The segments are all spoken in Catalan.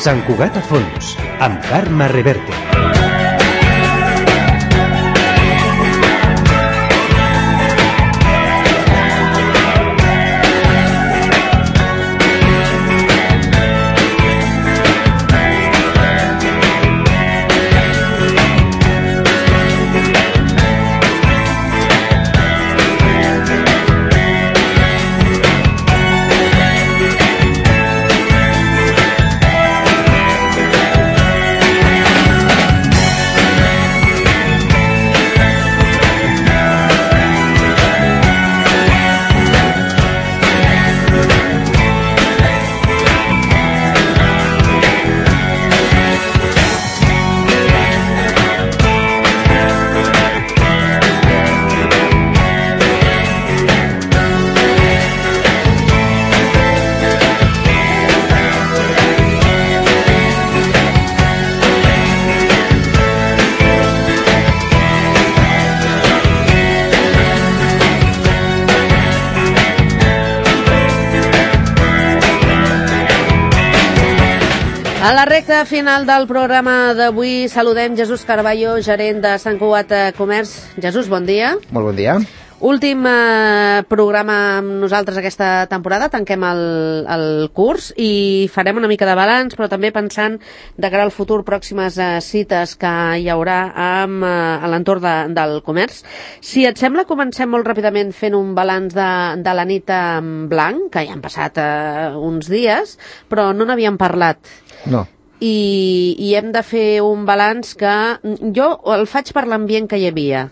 Sant Cugat a fons, amb Carme Reverte. A la recta final del programa d'avui saludem Jesús Carballo, gerent de Sant Cugat Comerç. Jesús, bon dia. Molt bon dia. Últim programa amb nosaltres aquesta temporada, tanquem el curs i farem una mica de balanç, però també pensant de cara al futur pròximes cites que hi haurà a l'entorn del comerç. Si et sembla, comencem molt ràpidament fent un balanç de la nit en blanc, que ja han passat uns dies, però no n'havíem parlat. No. I hem de fer un balanç que jo el faig per l'ambient que hi havia.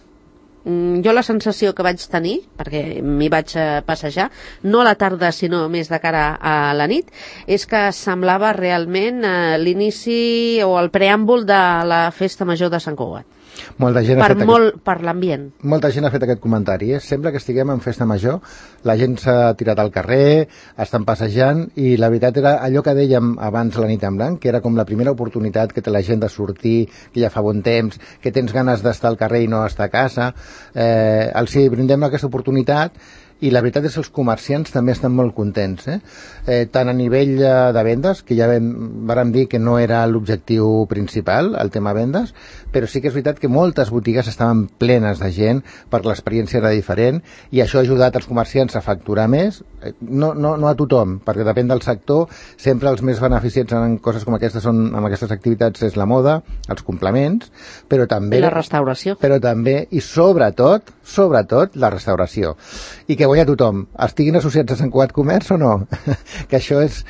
Jo la sensació que vaig tenir, perquè m'hi vaig passejar, no a la tarda sinó més de cara a la nit, és que semblava realment l'inici o el preàmbul de la festa major de Sant Cugat. Molta gent per l'ambient. Molta gent ha fet aquest comentari. Sempre que estiguem en festa major, la gent s'ha tirat al carrer, estan passejant, i la veritat era allò que dèiem abans la nit en blanc, que era com la primera oportunitat que té la gent de sortir, que ja fa bon temps, que tens ganes d'estar al carrer i no estar a casa. Els brindem aquesta oportunitat, i la veritat és que els comerciants també estan molt contents, tant a nivell de vendes, que ja vàrem dir que no era l'objectiu principal, el tema vendes, però sí que és veritat que moltes botigues estaven plenes de gent perquè l'experiència era diferent, i això ha ajudat els comerciants a facturar més, no a tothom, perquè depèn del sector. Sempre els més beneficiats en coses com aquestes amb aquestes activitats és la moda, els complements, però també... I la restauració. Però també, i sobretot, la restauració. I que guanya tothom, estiguin associats a Sant Cugat Comerç o no, que això és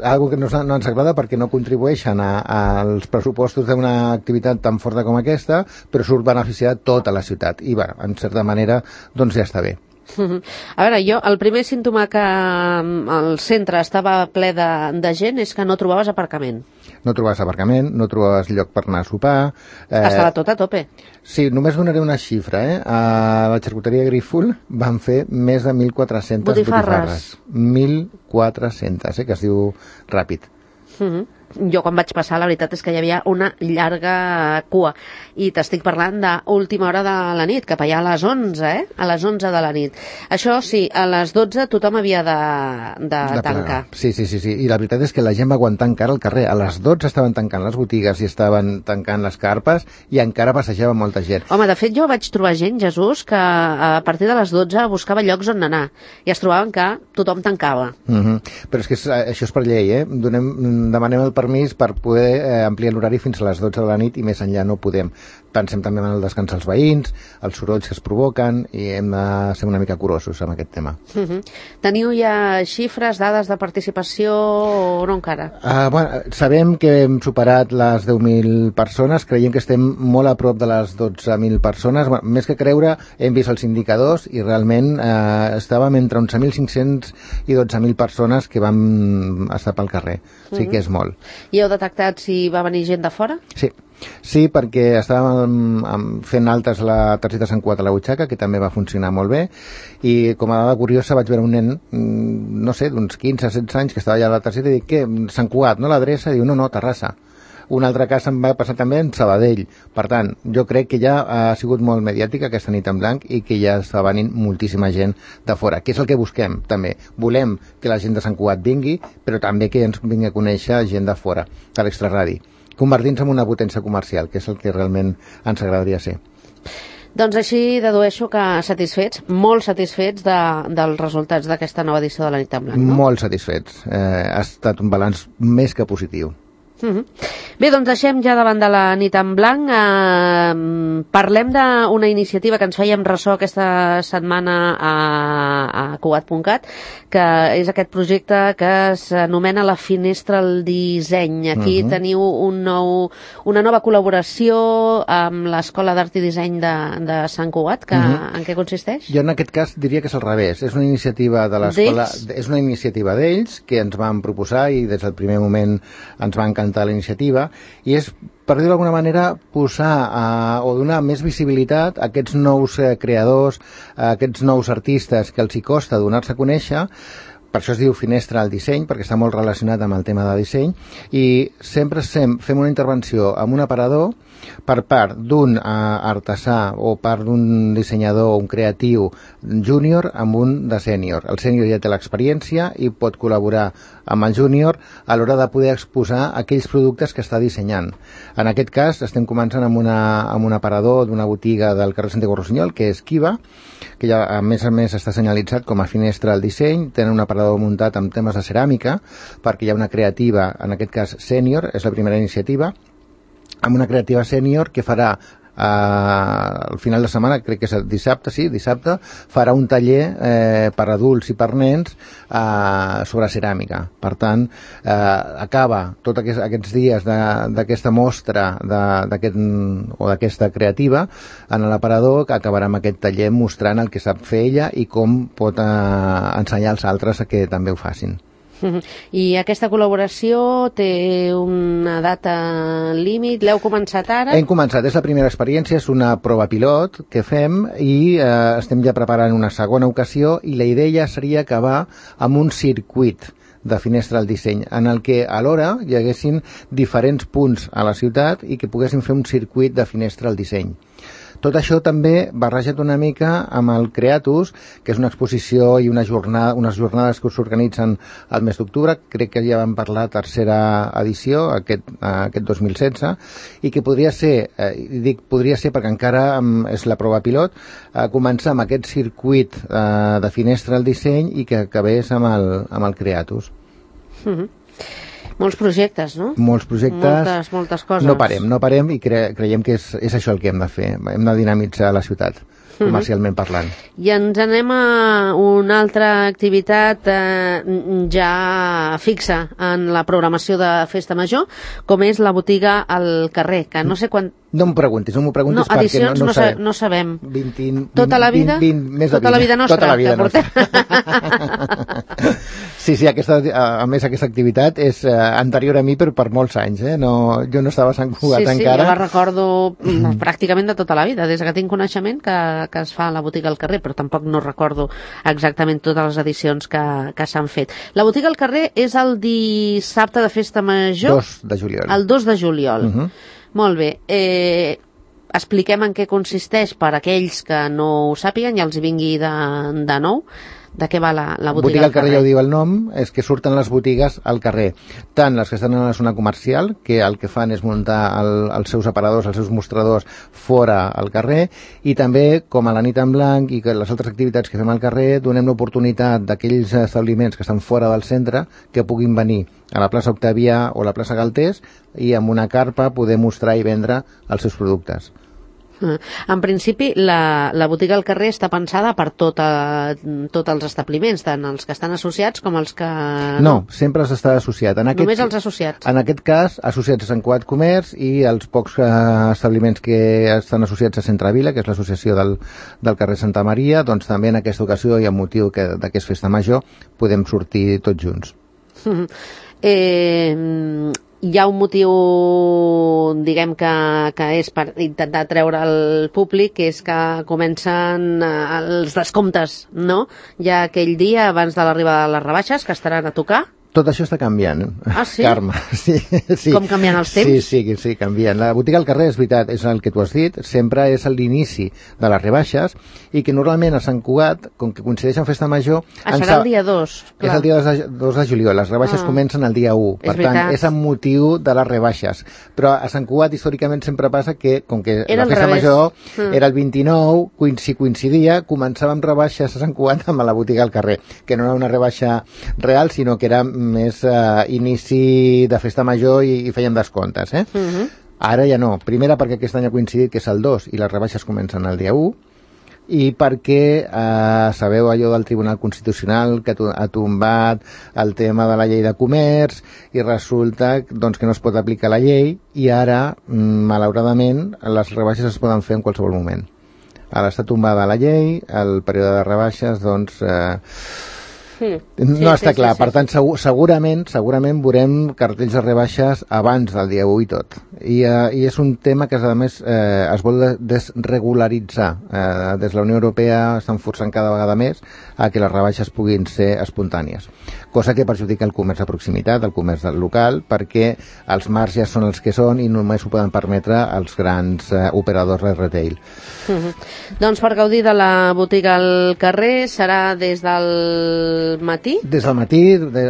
algo que no ens agrada perquè no contribueixen als pressupostos d'una activitat tan forta com aquesta, però surt beneficiat tota la ciutat, i en certa manera doncs ja està bé. A veure, el primer símptoma que el centre estava ple de gent és que no trobaves aparcament. No trobaves aparcament, no trobaves lloc per anar a sopar. Estava tot a tope. Sí, només donaré una xifra. A la xarcuteria Grífol van fer més de 1.400 botifarres. 1.400, que es diu ràpid. Jo quan vaig passar la veritat és que hi havia una llarga cua, i t'estic parlant d'última hora de la nit, cap allà a les 11, a les 11 de la nit. Això sí, a les 12 tothom havia de tancar. Sí, i la veritat és que la gent va aguantar encara al carrer. A les 12 estaven tancant les botigues i estaven tancant les carpes, i encara passejava molta gent. Home, de fet jo vaig trobar gent, Jesús, que a partir de les 12 buscava llocs on anar, i es trobaven que tothom tancava. Però és que això és per llei, demanem el permís per poder ampliar l'horari fins a les 12 de la nit, i més enllà no podem. Pensem també en el descans als veïns, els sorolls que es provoquen, i hem de ser una mica curosos amb aquest tema. Teniu ja xifres, dades de participació o no encara? Sabem que hem superat les 10.000 persones, creiem que estem molt a prop de les 12.000 persones. Més que creure, hem vist els indicadors i realment estàvem entre 11.500 i 12.000 persones que vam estar pel carrer. Sí que és molt. I heu detectat si va venir gent de fora? Sí, perquè estàvem fent altes la targeta Sant Cugat a la butxaca, que també va funcionar molt bé, i com a dada curiosa vaig veure un nen, no sé, d'uns 15-16 anys, que estava allà a la targeta, i dic, què, Sant Cugat, no l'adreça? Diu, no, Terrassa. Un altre cas em va passar també en Sabadell. Per tant, jo crec que ja ha sigut molt mediàtica aquesta nit en blanc i que ja està venint moltíssima gent de fora, que és el que busquem també. Volem que la gent de Sant Cugat vingui, però també que ens vingui a conèixer gent de fora, de l'extraradi, convertint-se en una potència comercial, que és el que realment ens agradaria ser. Doncs així dedueixo que satisfets, molt satisfets dels resultats d'aquesta nova edició de la nit en blanc, no? Molt satisfets. Ha estat un balanç més que positiu. Bé, doncs deixem ja davant de la nit en blanc. Parlem d'una iniciativa que ens fèiem ressò aquesta setmana a Cugat.cat, que és aquest projecte que s'anomena la Finestra al Disseny. Aquí teniu una nova col·laboració amb l'Escola d'Art i Disseny de Sant Cugat, que en què consisteix? Jo en aquest cas diria que és al revés. És una iniciativa de l'escola, és una iniciativa d'ells que ens van proposar i des del primer moment ens va encantar la iniciativa, i és, per dir-ho d'alguna manera, posar o donar més visibilitat a aquests nous creadors, a aquests nous artistes que els hi costa donar-se a conèixer. Per això es diu Finestra al Disseny, perquè està molt relacionat amb el tema de disseny, i sempre fem una intervenció amb un aparador per part d'un artesà o part d'un dissenyador, un creatiu júnior amb un de sènior. El sènior ja té l'experiència i pot col·laborar amb el júnior a l'hora de poder exposar aquells productes que està dissenyant. En aquest cas estem començant amb un aparador d'una botiga del carrer Santiago Rossinyol, que és Kiva, que ja a més està senyalitzat com a Finestra al Disseny. Tenen un aparador muntat amb temes de ceràmica, perquè hi ha una creativa, en aquest cas sènior, és la primera iniciativa, amb una creativa sènior que farà al final de setmana, crec que és dissabte, farà un taller per adults i per nens sobre ceràmica. Per tant, acaba tots aquests dies d'aquesta mostra o d'aquesta creativa en l'aparador, que acabarà amb aquest taller mostrant el que sap fer ella i com pot ensenyar als altres a que també ho facin. I aquesta col·laboració té una data límit? L'heu començat ara? Hem començat, és la primera experiència, és una prova pilot que fem i estem ja preparant una segona ocasió, i la idea seria acabar amb un circuit de Finestra al Disseny, en el que alhora hi haguessin diferents punts a la ciutat i que poguessin fer un circuit de Finestra al Disseny. Tot això també barrejat una mica amb el Creatus, que és una exposició i unes jornades que s'organitzen al mes d'octubre. Crec que ja vam parlar tercera edició, aquest 2016, i que podria ser, dic podria ser perquè encara és la prova pilot, començar amb aquest circuit de Finestra al Disseny i que acabés amb el Creatus. Molts projectes, no? Molts projectes. Moltes coses. No parem i creiem que és això el que hem de fer. Hem de dinamitzar la ciutat, comercialment parlant. I ens anem a una altra activitat ja fixa en la programació de Festa Major, com és la botiga al carrer, que no sé quan... No m'ho preguntis perquè edicions no sabem. No sabem. 20, tota la vida? Tota la vida nostra. Tota la vida nostra. Sí, a més aquesta activitat és anterior a mi per molts anys. Jo no estava a Sant Cugat encara. Sí, jo la recordo pràcticament de tota la vida, des que tinc coneixement que es fa a la botiga al carrer, però tampoc no recordo exactament totes les edicions que s'han fet. La botiga al carrer és el dissabte de Festa Major? 2 de juliol. El 2 de juliol. Molt bé. Expliquem en què consisteix per aquells que no ho sàpiguen i els vingui de nou. De què va la botiga al carrer? Ja ho diu el nom, és que surten les botigues al carrer. Tant les que estan a la zona comercial, que el que fan és muntar els seus aparadors, els seus mostradors fora al carrer, i també, com a la nit en blanc i que les altres activitats que fem al carrer, donem l'oportunitat d'aquells establiments que estan fora del centre que puguin venir a la plaça Octavià o la plaça Galtés i amb una carpa poder mostrar i vendre els seus productes. En principi, la botiga al carrer està pensada per tots els establiments, tant els que estan associats com els que... No, sempre està associat. Només els associats. En aquest cas, associats a Sant Cugat Comerç i els pocs establiments que estan associats a Centre Vila, que és l'associació del carrer Santa Maria, doncs també en aquesta ocasió i amb motiu que és Festa Major podem sortir tots junts. Hi ha un motiu, diguem que és per intentar treure al públic, que és que comencen els descomptes, no? Ja aquell dia, abans de l'arribada de les rebaixes, que estaran a tocar. Tot això està canviant, Ah, sí? Carme. Sí, sí. Com canviant els temps? Sí, canviant. La botiga al carrer, és veritat, és el que tu has dit, sempre és l'inici de les rebaixes i que normalment a Sant Cugat, com que coincideix amb Festa Major... Serà el dia 2, clar. És el dia 2 de juliol, les rebaixes comencen el dia 1, per tant, és amb motiu de les rebaixes. Però a Sant Cugat, històricament, sempre passa que, com que la Festa Major era el 29, si coincidia, començàvem rebaixes a Sant Cugat amb la botiga al carrer, que no era una rebaixa real, sinó que era més inici de Festa Major i fèiem descomptes, Ara ja no. Primera, perquè aquest any ha coincidit que és el 2 i les rebaixes comencen el dia 1, i perquè sabeu allò del Tribunal Constitucional que ha tombat el tema de la llei de comerç i resulta doncs, que no es pot aplicar la llei i ara, malauradament, les rebaixes es poden fer en qualsevol moment. Ara està tombada la llei, el període de rebaixes, doncs... no està clar, per tant segurament veurem cartells de rebaixes abans del dia 1 i tot, i és un tema que a més es vol desregularitzar. Des de la Unió Europea estan forçant cada vegada més a que les rebaixes puguin ser espontànies, cosa que perjudica el comerç de proximitat, el comerç del local, perquè els marges són els que són i només ho poden permetre els grans operadors de retail. Doncs per gaudir de la botiga al carrer serà des del matí? Des del matí,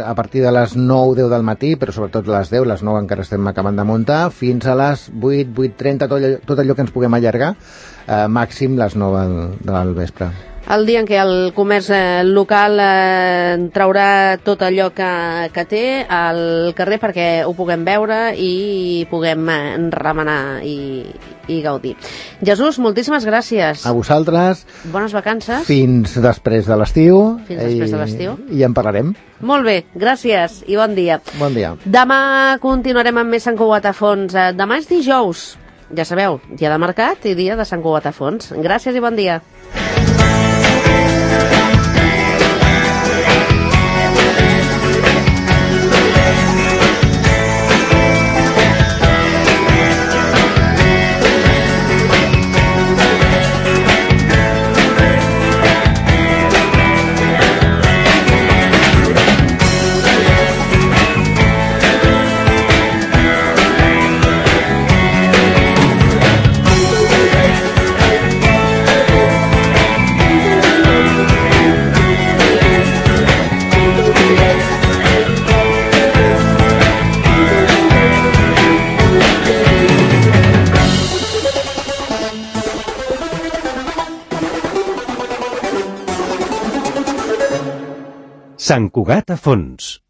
a partir de les 9-10 del matí, però sobretot a les 10, les 9 encara estem acabant de muntar, fins a les 8-8:30, tot allò que ens puguem allargar, màxim les 9 del vespre. El dia en què el comerç local traurà tot allò que té al carrer perquè ho puguem veure i puguem remenar i gaudir. Jesús, moltíssimes gràcies. A vosaltres. Bones vacances. Fins després de l'estiu. I en parlarem. Molt bé, gràcies i bon dia. Bon dia. Demà continuarem amb més Sant Cugat a fons. Demà és dijous, ja sabeu, dia de mercat i dia de Sant Cugat a fons. Gràcies i bon dia. Sant Cugat a fons.